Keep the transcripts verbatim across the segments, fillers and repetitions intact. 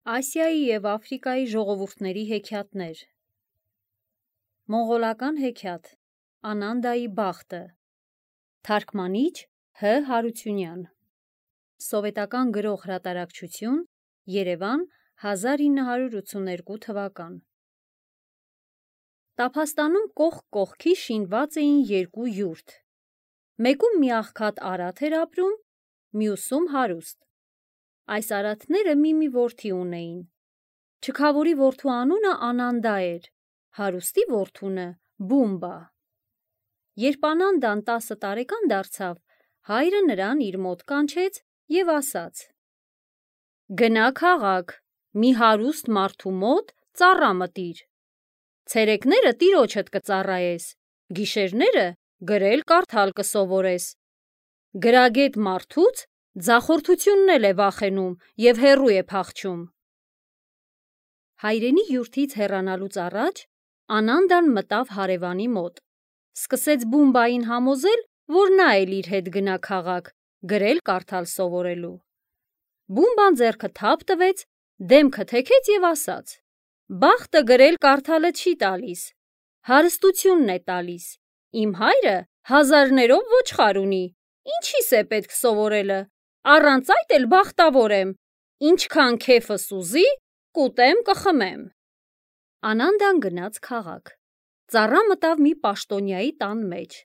Ասիայի և Աֆրիկայի ժողովուրդների հեքիաթներ։ Մոնղոլական հեքիաթ Անանդայի բախտը։ Թարգմանիչ Հ. Հարությունյան։ Սովետական գրող հրատարակչություն Երևան հազար ինը հարյուր ութսուներկու թվական։ Տափաստանում կողք կողքի շինված էին երկու յուրտ։ Մեկում մի աղքատ արատ էր ապրում, մյուսում հարուստ։ Այս արատները մի-մի որդի ունեին։ Չքավորի որդու անունը Անանդա էր, հարուստի որդունը Բումբա։ Երբ Անանդան տասը տարեկան դարձավ, հայրը նրան իր մոտ կանչեց և ասաց. «Գնա քաղաք, մի հարուստ մարդու մոտ ծառա մտիր։ Ցերեկները տիրոջդ կծառայես, գիշերները գրել կարդալ կսովորես։ Գրագետ մարդուց ձախորդությունն էլ է վախենում և հեռու է փախչում»։ Հայրենի յուրթից հեռանալուց առաջ Անանդան մտավ հարևանի մոտ, սկսեց Բումբային համոզել, որ նա էլ իր հետ գնա քաղաք, գրել կարդալ սովորելու։ Բումբան ձեռքը թափ տվեց, դեմքը թեքեց և ասաց. «Բախտը գրել կարդալը չի տալիս, հարստությունն է տալիս։ Իմ հայրը հազարներով ոչխար ունի, ինչի՞ս է պետք սովորելը, առանց այդ էլ բախտավոր եմ, ինչքան քեֆս ուզի, կուտեմ կխմեմ»։ Անանդան գնաց քաղաք, ծառա մտավ մի պաշտոնյայի տան մեջ։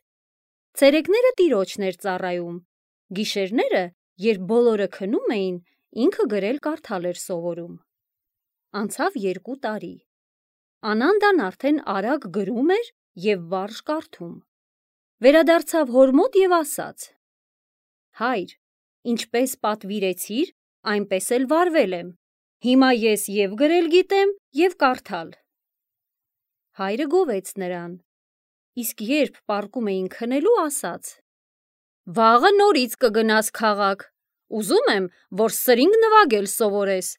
Ցերեկները տիրոջն էր ծառայում, գիշերները, երբ բոլորը քնում էին, ինքը գրել կարդալ էր սովորում։ Անցավ երկու տարի։ Անանդան արդեն արագ գրում էր և վարժ կարդում։ Վերադարձավ հոր մոտ և ասաց. «Հայր, ինչպես պատվիրեցիր, այնպես էլ վարվել եմ, հիմա ես և գրել գիտեմ, և կարդալ»։ Հայրը գովեց նրան, իսկ երբ պառկում էին քնելու, ասաց. «Վաղը նորից կգնաս քաղաք, ուզում եմ, որ սրինգ նվագել սովորես։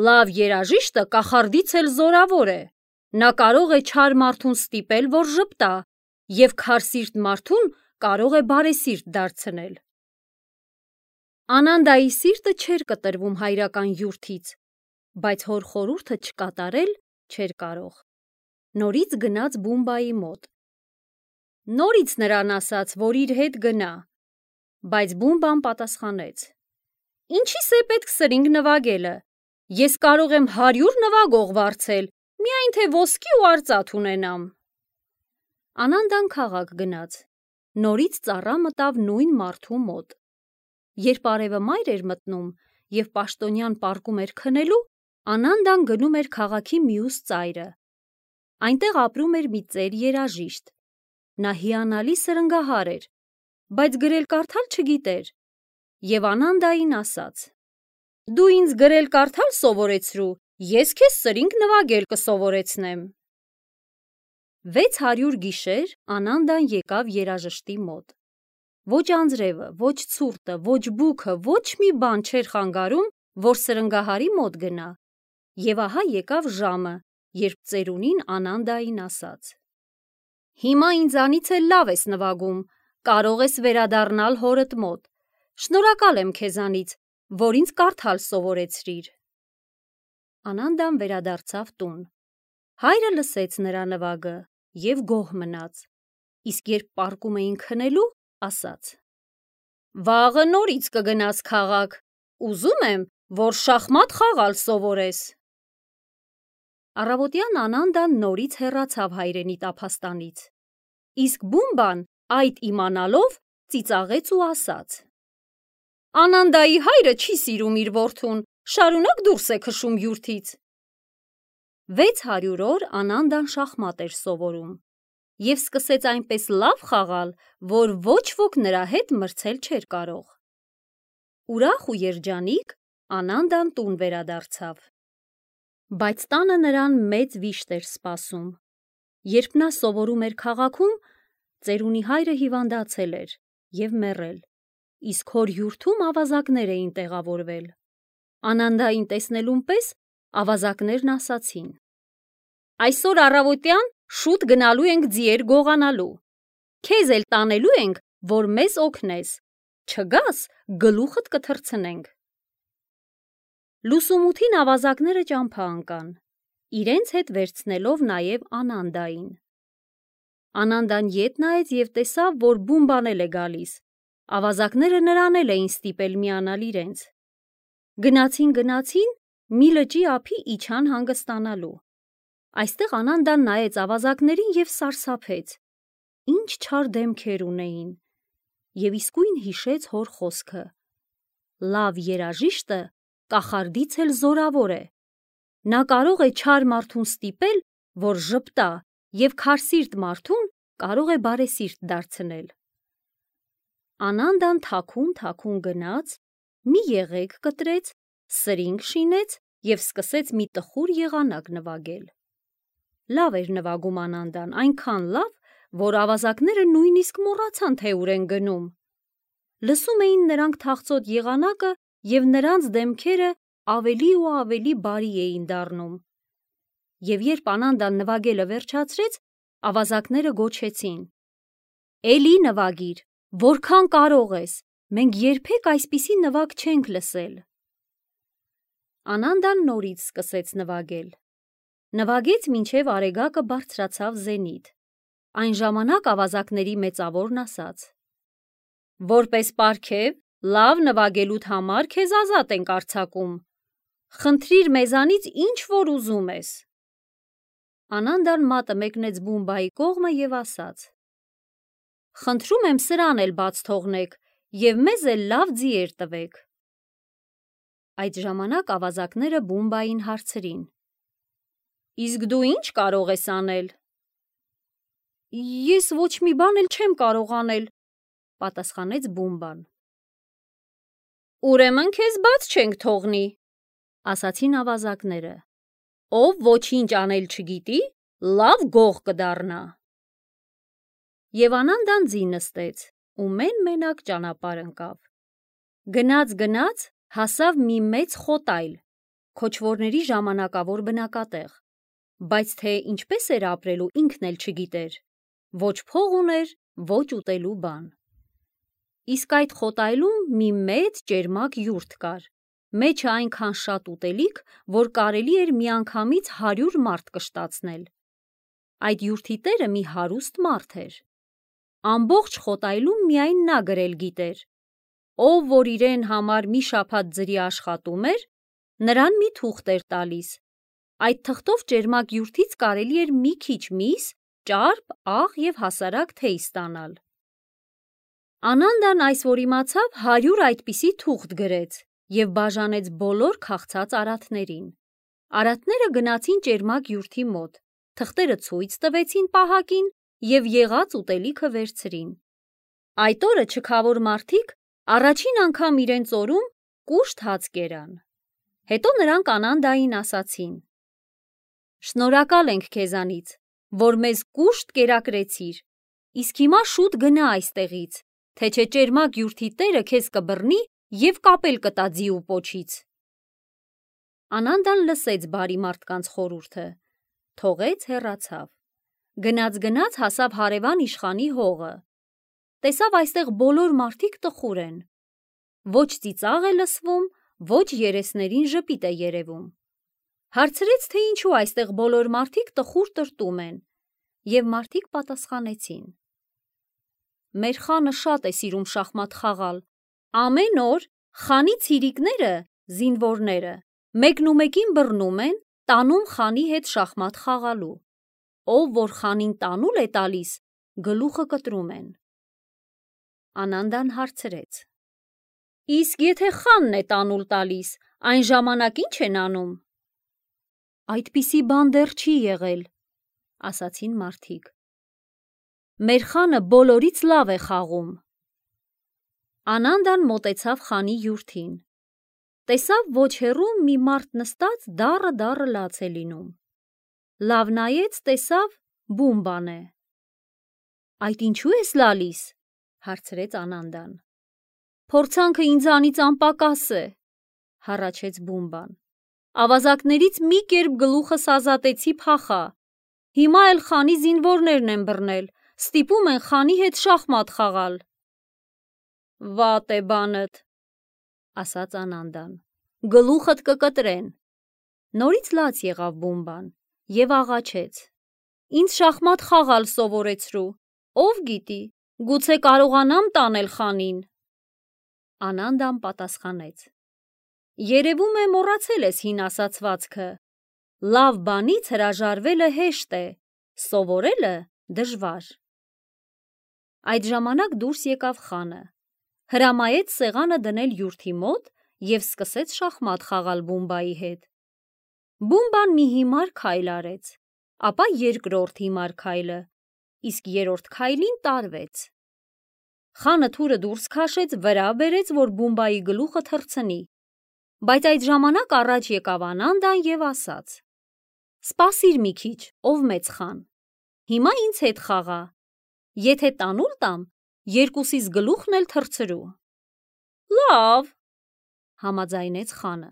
Լավ երաժիշտը կախարդից էլ զորավոր է, նա կարող է չար մարդուն ստիպել, որ ժպտա, և քարսիրտ մարդուն կարող է բարեսիրտ դարձնել»։ Անանդայի սիրտը չէր կտրվում հայրական յուրթից, բայց հոր խորհուրդը չկատարել չէր կարող։ Նորից գնաց Բումբայի մոտ։ Նորից նրան ասաց, որ իր հետ գնա, բայց Բումբան պատասխանեց. «Ինչի՞ս է պետք սրինգ նվագելը, ես կարող եմ հարյուր նվագող վարձել, միայն թե ոսկի ու արծաթ ունենամ»։ Անանդան քաղաք գնաց, նորից ծառա մտավ նույն մարդու մոտ։ Երբ արևը մայր էր մտնում և պաշտոնյան պառկում էր քնելու, Անանդան գնում էր քաղաքի մյուս ծայրը։ Այնտեղ ապրում էր մի ծեր երաժիշտ։ Նա հիանալի սրնգահար էր, բայց գրել կարդալ չգիտեր, և Անանդային ասաց. «Դու ինձ գրել կարդալ սովորեցրու, ես քեզ սրինգ նվագել կսովորեցնեմ»։ Վեց հարյուր գիշեր Անանդան եկավ երաժշտի մոտ։ Ոչ անձրևը, ոչ ցուրտը, ոչ բուքը, ոչ մի բան չէր խանգարում, որ սրնգահարի մոտ գնա։ Եվ ահա եկավ ժամը, երբ ծերունին Անանդային ասաց. «Հիմա ինձանից էլ լավ ես նվագում, կարող ես վերադառնալ հորդ մոտ։ Շնորհակալ եմ քեզանից, որ ինձ կարդալ սովորեցրիր»։ Անանդան վերադարձավ տուն։ Հայրը լսեց նրա նվագը և գոհ մնաց, իսկ երբ պառկում էին քնելու, ասաց. «Վաղը նորից կգնաս քաղաք, ուզում եմ, որ շախմատ խաղալ սովորես»։ Առավոտյան Անանդան նորից հեռացավ հայրենի տափաստանից, իսկ Բումբան, այդ իմանալով, ծիծաղեց ու ասաց. «Անանդայի հայրը չի սիրում իր որդուն, շարունակ դուրս է քշում յուրթից»։ Վեց հարյուր օր Անանդան շախմատ էր սովորում և սկսեց այնպես լավ խաղալ, որ ոչ ոք նրա հետ մրցել չէր կարող։ Ուրախ ու երջանիկ Անանդան տուն վերադարձավ։ Բայց տանը նրան մեծ վիշտ էր սպասում։ Երբ նա սովորում էր քաղաքում, ծերունի հայրը հիվանդացել էր և մեռել, իսկ հոր յուրթում ավազակներ էին տեղավորվել։ Անանդային տեսնելուն պես ավազակներն ասացին. «Այսօր առավոտյան շուտ գնալու ենք ձիեր գողանալու, քեզ էլ տանելու ենք, որ մեզ օգնես, չգաս՝ գլուխդ կթռցնենք»։ Լուսումութին ավազակները ճամփա ընկան, իրենց հետ վերցնելով նաև Անանդային։ Անանդան ետ նայեց և տեսավ, որ Բումբան էլ է գալիս, ավազակները նրան էլ էին ստիպել միանալ իրենց։ Գնացին գնացին, մի լճի ափի իջան հանգստանալու։ Այստեղ Անանդան նայեց ավազակներին և սարսափեց, ինչ չար դեմքեր ունեին, և իսկույն հիշեց հոր խոսքը. լավ երաժիշտը կախարդից էլ զորավոր է, նա կարող է չար մարդուն ստիպել, որ ժպտա, և քարսիրտ մարդուն կարող է բարեսիրտ դարձնել։ Անանդան թաքուն-թաքուն գնաց, մի եղեգ կտրեց, սրինգ շինեց և սկսեց մի տխուր եղանակ նվագել։ Լավ էր նվագում Անանդան, այնքան լավ, որ ավազակները նույնիսկ մոռացան, թե ուր են գնում։ Լսում էին նրանք թախծոտ եղանակը և նրանց դեմքերը ավելի ու ավելի բարի էին դառնում։ Եվ երբ Անանդան նվագելը վերջացրեց, ավազակները գոչեցին. «Էլի նվագիր, որքան կարող ես, մենք երբեք այսպիսի նվագ չենք լսել»։ Անանդան նորից սկսեց նվագել։ Նվագեց, մինչև արեգակը բարձրացավ զենիթ։ Այն ժամանակ ավազակների մեծավորն ասաց. «Որպես պարգև, լավ նվագելուդ համար քեզ ազատ ենք արձակում, խնդրիր մեզանից ինչ որ ուզում ես»։ Անանդան մատը մեկնեց Բումբայի կողմը և ասաց. «Խնդրում եմ սրան էլ բաց թողնեք և մեզ էլ լավ ձիեր տվեք»։ Այդ ժամանակ ավազակները Բումբային հարցրին. «Իսկ դու ի՞նչ կարող ես անել»։ «Ես ոչ մի բան էլ չեմ կարող անել», պատասխանեց Բումբան։ «Ուրեմն քեզ բաց չենք թողնի», ասացին ավազակները։ «Ով ոչինչ անել չգիտի, լավ գող կդառնա»։ Եվ Անանդան ձի նստեց ու մեն-մենակ ճանապարհ ընկավ։ Գնաց-գնաց հասավ մի մեծ խոտայլ, քոչվորների ժամանակավոր բնակատեղ, բայց թե ինչպես էր ապրելու ինքն էլ չգիտեր, ոչ փող ուներ, ոչ ուտելու բան։ Իսկ այդ խոտայլում մի մեծ ճերմակ յուրթ կար, մեջը այնքան շատ ուտելիք, որ կարելի էր միանգամից հարյուր մարդ կշտացնել։ Այդ յուրթի տերը մի հարուստ մարդ էր։ Ամբողջ խոտայլում միայն նա գրել գիտեր. ով որ իրեն համար մի շաբաթ ձրի աշխատում էր, նրան մի թուղթ էր տալիս, այդ թղթով ճերմակ յուրթից կարելի էր մի քիչ միս, ճարպ, աղ և հասարակ թեյ ստանալ։ Անանդան այս որ իմացավ, հարյուր այդպիսի թուղթ գրեց և բաժանեց բոլոր քաղցած արատներին։ Արատները գնացին ճերմակ յուրթի մոտ, թղթերը ցույց տվեցին պահակին և եղած ուտելիքը վերցրին։ Այդ օրը չքավոր մարդիկ առաջին անգամ իրենց օրում կուշտ հաց կերան։ Հետո նրանք Անանդային ասացին. «Շնորհակալ ենք քեզանից, որ մեզ կուշտ կերակրեցիր, իսկ հիմա շուտ գնա այստեղից, թե չէ ճերմակ յուրթի տերը քեզ կբռնի և կապել կտա ձի ու պոչից»։ Անանդան լսեց բարի մարդկանց խորհուրդը, թողեց, հեռացավ։ Գնաց-գնաց հասավ հարևան իշխանի հողը։ Տեսավ այստեղ բոլոր մարդիկ տխուր են։ Ոչ ծիծաղ է լսվում, ոչ երեսներին ժպիտ է երևում։ Հարցրեց, թե ինչու այստեղ բոլոր մարդիկ տխուր տրտում են, և մարդիկ պատասխանեցին. «Մեր խանը շատ է սիրում շախմատ խաղալ, ամեն օր խանի ցիրիկները (զինվորները) մեկնումեկին բռնում են, տանում խանի հետ շախմատ խաղալու։ Ով որ խանին տանուլ է տալիս, գլուխը կտրում են»։ Անանդան հարցրեց. «Իսկ եթե խանն է տանուլ տալիս, այն ժամանակ ի՞նչ են անում»։ «Այդպիսի բան դեռ չի եղել», ասացին մարդիկ։ «Մեր խանը բոլորից լավ է խաղում»։ Անանդան մոտեցավ խանի յուրթին։ Տեսավ ոչ հեռու մի մարդ նստած դառը-դառը լաց է լինում։ Լավ նայեց, տեսավ Բումբան է։ «Այդ ինչու ես լալիս»։ հարցրեց Անանդան։ «Փորձանքը ինձանից անպակաս է», հառաչեց Բումբան։ «Ավազակներից մի կերպ գլուխս ազատեցի փախա։ Հիմա էլ խանի զինվորներն են բռնել, ստիպում են խանի հետ շախմատ խաղալ»։ «Վատ է բանդ», ասաց Անանդան։ գլուխդ կկտրեն։ Նորից լաց եղավ Բումբան և աղաչեց. Ինձ շախմատ խաղալ սովորեցրու, ով գիտի, գուցե կարողանամ տանել խանին։ Անանդան պատասխանեց. Երևում է մոռացել ես հին ասացվածքը. լավ բանից հրաժարվելը հեշտ է, սովորելը դժվար։ Այդ ժամանակ դուրս եկավ խանը, հրամայեց սեղանը դնել յուրթի մոտ և սկսեց շախմատ խաղալ Բումբայի հետ։ Բումբան մի հիմար քայլ արեց, ապա երկրորդ հիմար քայլը, իսկ երրորդ քայլին տարվեց։ Խանը թուրը դուրս քաշեց, վրա բերեց, որ Բումբայի գլուխը թռցնի, բայց այդ ժամանակ առաջ եկավ Անանդան և ասաց. Սպասիր մի քիչ, ով մեծ խան, հիմա ինձ հետ խաղա, եթե տանուլ տամ, երկուսիս գլուխն էլ թռցրու։ Լավ, համաձայնեց խանը,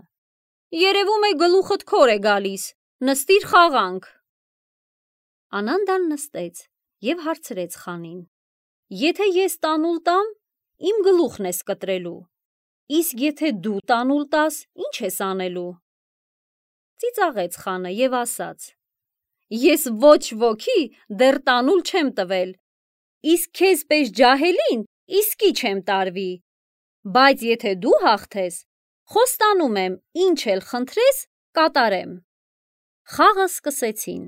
երևում է գլուխդ քոր է գալիս, նստիր խաղանք։ Անանդան նստեց և հարցրեց խանին. Եթե ես տանուլ տամ, իմ գլուխն ես կտրելու, իսկ եթե դու տանուլ տաս, ինչ ես անելու։ Ծիծաղեց խանը և ասաց. Ես ոչ ոքի դեռ տանուլ չեմ տվել, իսկ քեզ պես ջահելին իսկի չեմ տարվի, բայց եթե դու հաղթես, խոստանում եմ, ինչ էլ խնդրես, կատարեմ։ Խաղը սկսեցին,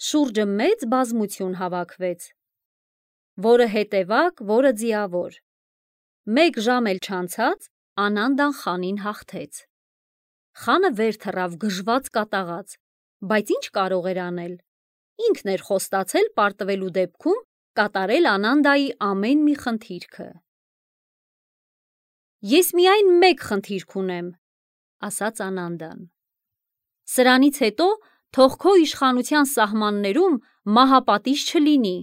շուրջը մեծ բազմություն հավաքվեց, որը հետևակ, որը ձիավոր։ Մեկ ժամ էլ չանցած, Անանդան խանին հաղթեց։ Խանը վեր թռավ գժված կատաղած, բայց ինչ կարող էր անել, ինքն էր խոստացել պարտվելու դեպքում կատարել Անանդայի ամեն մի խնդիրքը։ Ես միայն մեկ խնդիրք ունեմ, ասաց Անանդան, սրանից հետո թող քո իշխանության սահմաններում մահապատիժ չլինի։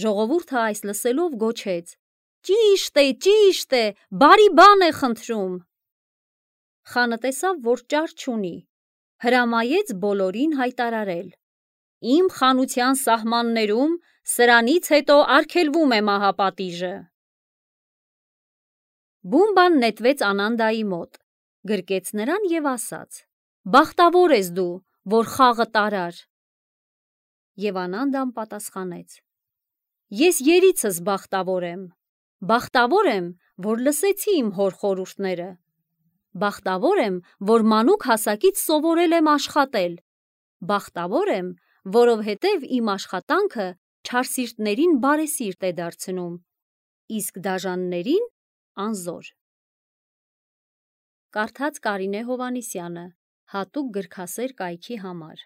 Ժողովուրդը այս լսելով գոչեց. Ճիշտ է, ճիշտ է, բարի բան է խնդրում։ Խանը տեսավ, որ ճար չունի, հրամայեց բոլորին հայտարարել. Իմ խանության սահմաններում սրանից հետո արգելվում է մահապատիժը։ Բումբան նետվեց Անանդայի մոտ, գրկեց նրան և ասաց. Բախտավոր ես դու, որ խաղը տարար։ Եվ Անանդան պատասխանեց. Ես երիցս բախտավոր եմ, բախտավոր եմ, որ լսեցի իմ հոր խորհուրդները, բախտավոր եմ, որ մանուկ հասակից սովորել եմ աշխատել, բախտավոր եմ, որովհետև իմ աշխատանքը չարսիրտներին բարեսիրտ է դարձնում, իսկ դաժաններին անզոր։ Կարդաց Կարինե Հովհաննիսյանը, հատուկ գրքասեր կայքի համար։